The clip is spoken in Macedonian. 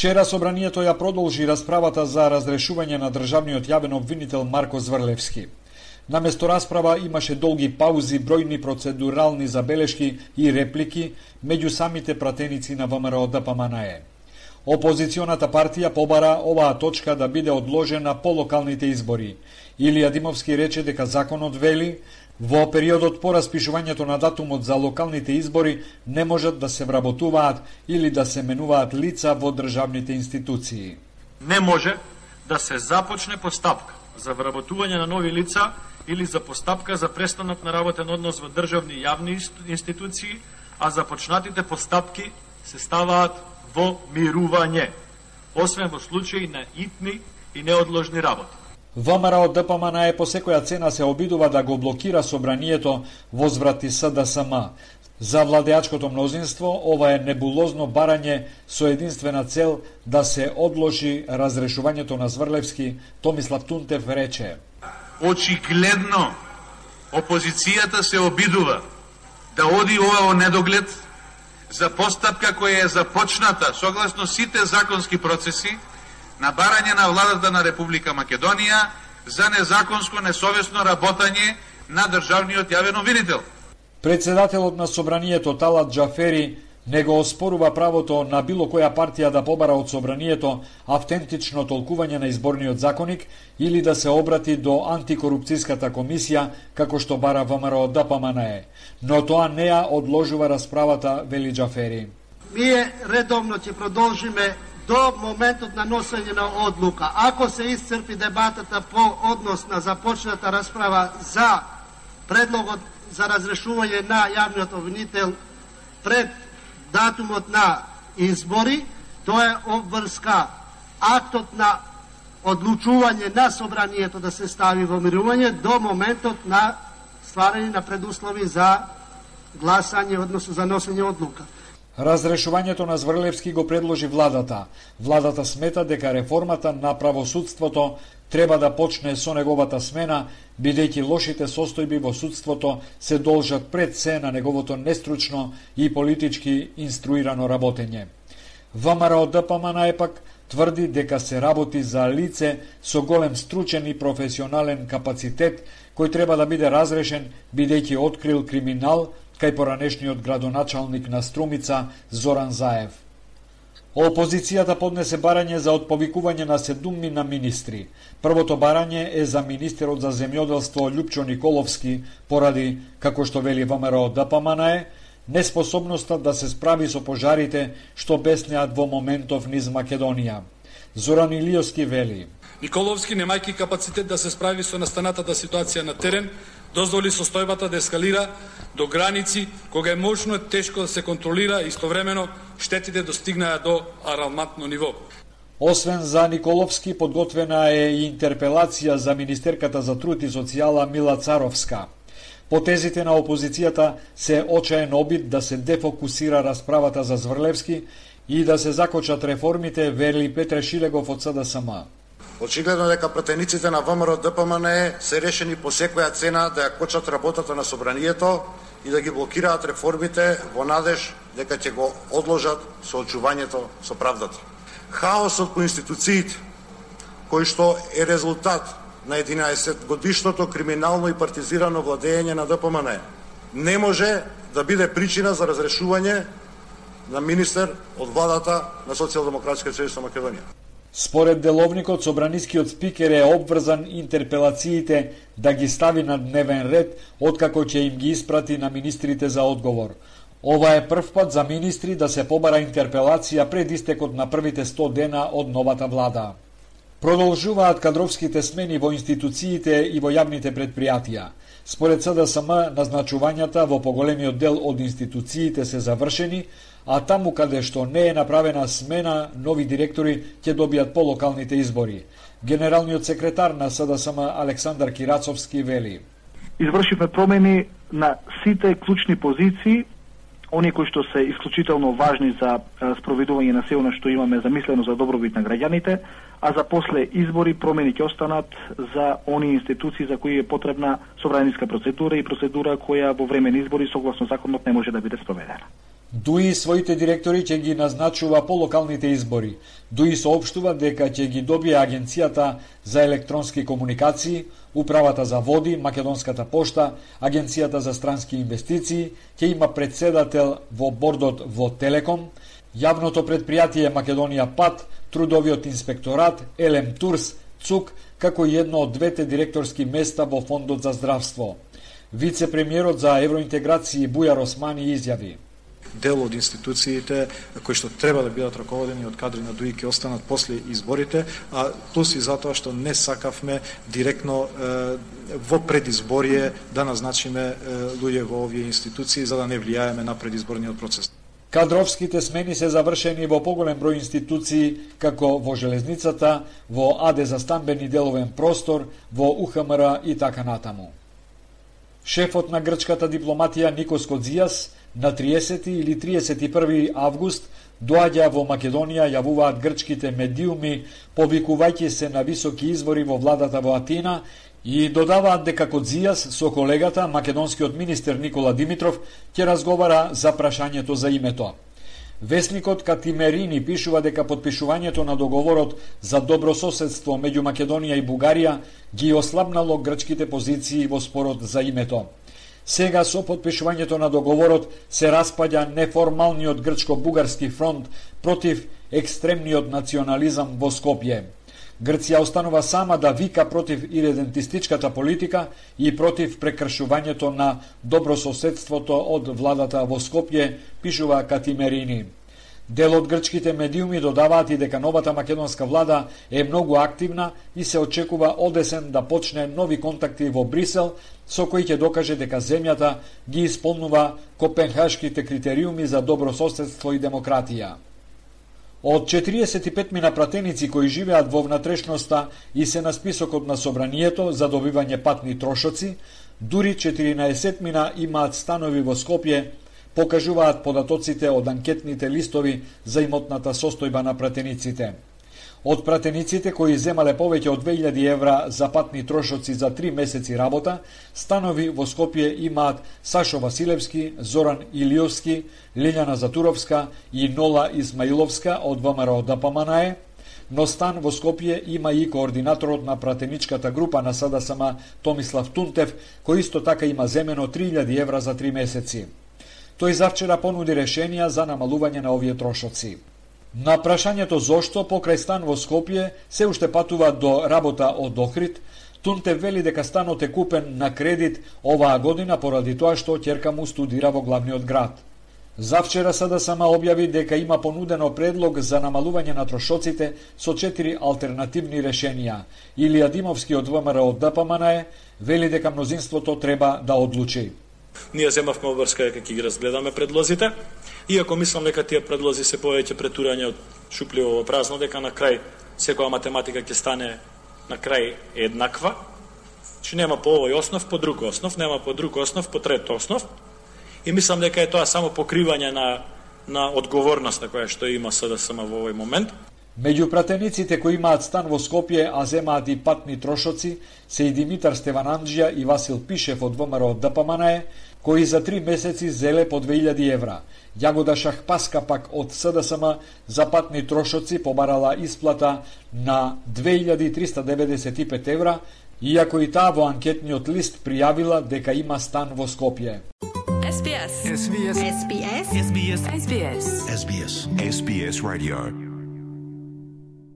Вчера собранието ја продолжи расправата за разрешување на државниот јавен обвинител Марко Зврлевски. Наместо расправа имаше долги паузи, бројни процедурални забелешки и реплики меѓу самите пратеници на ВМРО ДПМНЕ. Опозиционата партија побара оваа точка да биде одложена по локалните избори. Илија Димовски рече дека законот вели во периодот по распишувањето на датумот за локалните избори не можат да се вработуваат или да се менуваат лица во државните институции. Не може да се започне постапка за вработување на нови лица или за постапка за престанок на работен однос во државни и јавни институции, а започнатите постапки се ставаат во мирување, освен во случаи на итни и неодложни работи. ВМРО ДПМНЕ по секоја цена се обидува да го блокира собранието возврати СДСМ. За владеачкото мнозинство ова е небулозно барање со единствена цел да се одложи разрешувањето на Зврлевски, Томислав Тунтев рече. Очигледно опозицијата се обидува да оди ова во недоглед за постапка која е започната согласно сите законски процеси на барање на владата на Република Македонија за незаконско, несовесно работање на државниот јавен обвинител. Председателот на собранието Талат Џафери не го оспорува правото на било која партија да побара од собранието автентично толкување на изборниот законник или да се обрати до антикорупцијската комисија, како што бара ВМРО ДПМНЕ. Но тоа не ја одложува расправата, вели Џафери. Ние редовно ќе продолжиме до моментот на носење на одлука. Ако се исцрпи дебатата по однос на започната расправа за предлогот за разрешување на јавниот обвинител пред датумот на избори, тоа е обврска актот на одлучување на собранието да се стави во мирување до моментот на стварање на предуслови за гласање, односно за носење одлука. Разрешувањето на Зврлевски го предложи владата. Владата смета дека реформата на правосудството треба да почне со неговата смена, бидејќи лошите состојби во судството се должат пред се на неговото нестручно и политички инструирано работење. ВМРО ДПМНЕ пак тврди дека се работи за лице со голем стручен и професионален капацитет, кој треба да биде разрешен бидејќи открил криминал кај поранешниот градоначалник на Струмица Зоран Заев. Опозицијата поднесе барање за отповикување на 7 министри. Првото барање е за министерот за земјоделство Љупчо Николовски, поради, како што вели ВМРО ДПМНЕ, неспособноста да се справи со пожарите што беснеат во моментов низ Македонија. Зоран Илијовски вели: Николовски, немајки капацитет да се справи со настанатата ситуација на терен, дозволи состојбата да ескалира до граници кога е можно тешко да се контролира и истовремено штетите достигнаа до алармантно ниво. Освен за Николовски, подготвена е и интерпелација за министерката за труд и социјала Мила Царовска. Потезите на опозицијата се очаен обид да се дефокусира расправата за Зврлевски и да се закочат реформите, вели Петре Шилегов од СДСМ. Очигледно дека пратениците на ВМРО ДПМНЕ се решени по секоја цена да ја кочат работата на собранието и да ги блокираат реформите во надеж дека ќе го одложат соочувањето со правдата. Хаосот по институциите, кој што е резултат на 11-годишното криминално и партизирано владење на ДПМНЕ, не може да биде причина за разрешување на министер од владата на Социјалдемократска социјалистична Македонија. Според деловникот, собранискиот спикер е обврзан интерпелациите да ги стави на дневен ред, откако ќе им ги испрати на министрите за одговор. Ова е прв пат за министри да се побара интерпелација пред истекот на првите 100 дена од новата влада. Продолжуваат кадровските смени во институциите и во јавните предпријатија. Според СДСМ, назначувањата во поголемиот дел од институциите се завршени, а таму каде што не е направена смена, нови директори ќе добијат по локалните избори. Генералниот секретар на СДСМ Александар Кирацовски вели: Извршивме промени на сите клучни позиции, они кои што се исклучително важни за спроведување на се она што имаме замислено за добробит на граѓаните, а за после избори промени ќе останат за они институции за кои е потребна собраниска процедура и процедура која во време на избори согласно законот не може да биде спроведена. Дуи своите директори ќе ги назначува по локалните избори. Дуи соопштува дека ќе ги добие Агенцијата за електронски комуникации, Управата за води, Македонската пошта, Агенцијата за странски инвестиции, ќе има председател во бордот во Телеком, јавното предпријатие Македонија Пат, Трудовиот инспекторат, Елем Турс, ЦУК, како и едно од двете директорски места во Фондот за здравство. Вице-премиерот за евроинтеграција Бујар Османи изјави: дел од институциите кои што треба да бидат раководени од кадри на ДУИ ќе останат после изборите, а плюс и затоа што не сакавме директно во предизборие да назначиме луѓе во овие институции за да не влијаеме на предизборниот процес. Кадровските смени се завршени во поголем број институции, како во железницата, во АД за стамбени деловен простор, во УХМР и така натаму. Шефот на грчката дипломатија Никос Кодзијас на 30 или 31 август доаѓа во Македонија, јавуваат грчките медиуми, повикувајќи се на високи извори во владата во Атина и додаваат дека Кодзијас со колегата, македонскиот министер Никола Димитров, ќе разговара за прашањето за името. Весникот Катимерини пишува дека потпишувањето на договорот за добрососедство меѓу Македонија и Бугарија ги ослабнало грчките позиции во спорот за името. Сега со потпишувањето на договорот се распаѓа неформалниот грчко-бугарски фронт против екстремниот национализам во Скопје. Грција останува сама да вика против иредентистичката политика и против прекршувањето на добрососедството од владата во Скопје, пишува Катимерини. Дел од грчките медиуми додаваат и дека новата македонска влада е многу активна и се очекува одесен да почне нови контакти во Брисел, со кои ќе докаже дека земјата ги исполнува копенхашките критериуми за добрососедство и демократија. Од 45 мина пратеници кои живеат во внатрешноста и се на списокот на собранието за добивање патни трошоци, дури 14 мина имаат станови во Скопје, покажуваат податоците од анкетните листови за имотната состојба на пратениците. Од пратениците кои земале повеќе од 2000 евра за патни трошоци за 3 месеци работа, станови во Скопје имаат Сашо Василевски, Зоран Илиовски, Лиљана Затуровска и Нола Исмаиловска од ВМРО ДПМНЕ, но стан во Скопје има и координаторот на пратеничката група на СДСМ Томислав Тунтев, кој исто така има земено 3000 евра за 3 месеци. Тој завчера понуди решенија за намалување на овие трошоци. На прашањето зошто покрај стан во Скопје се уште патува до работа од Охрид, Тунтев вели дека станот е купен на кредит оваа година поради тоа што ќерка му студира во главниот град. Завчера СДСМ објави дека има понудено предлог за намалување на трошоците со 4 алтернативни решенија. Илија Димовски од ВМРО ДПМНЕ вели дека мнозинството треба да одлучи. Ние земавме обврска дека ќе ги разгледаме предлозите, иако мислам дека тие предлози се повеќе претурање од шупливо во празно, дека на крај секоја математика ќе стане на крај еднаква, че нема по овој основ, по друг основ, нема по друг основ, по трет основ. И мислам дека е тоа само покривање на одговорноста која што има СДСМ во овој момент. Меѓу пратениците кои имаат стан во Скопје, а земаат и патни трошоци, се и Димитар Стевананџија и Васил Пишев од ВМРО ДПМНЕ, кои за 3 месеци зеле по 2000 евра. Јагода Шахпаска пак од СДСМ за патни трошоци побарала исплата на 2395 евра, иако и таа во анкетниот лист пријавила дека има стан во Скопје. SBS. SBS. SBS. SBS. SBS. SBS. SBS Radio.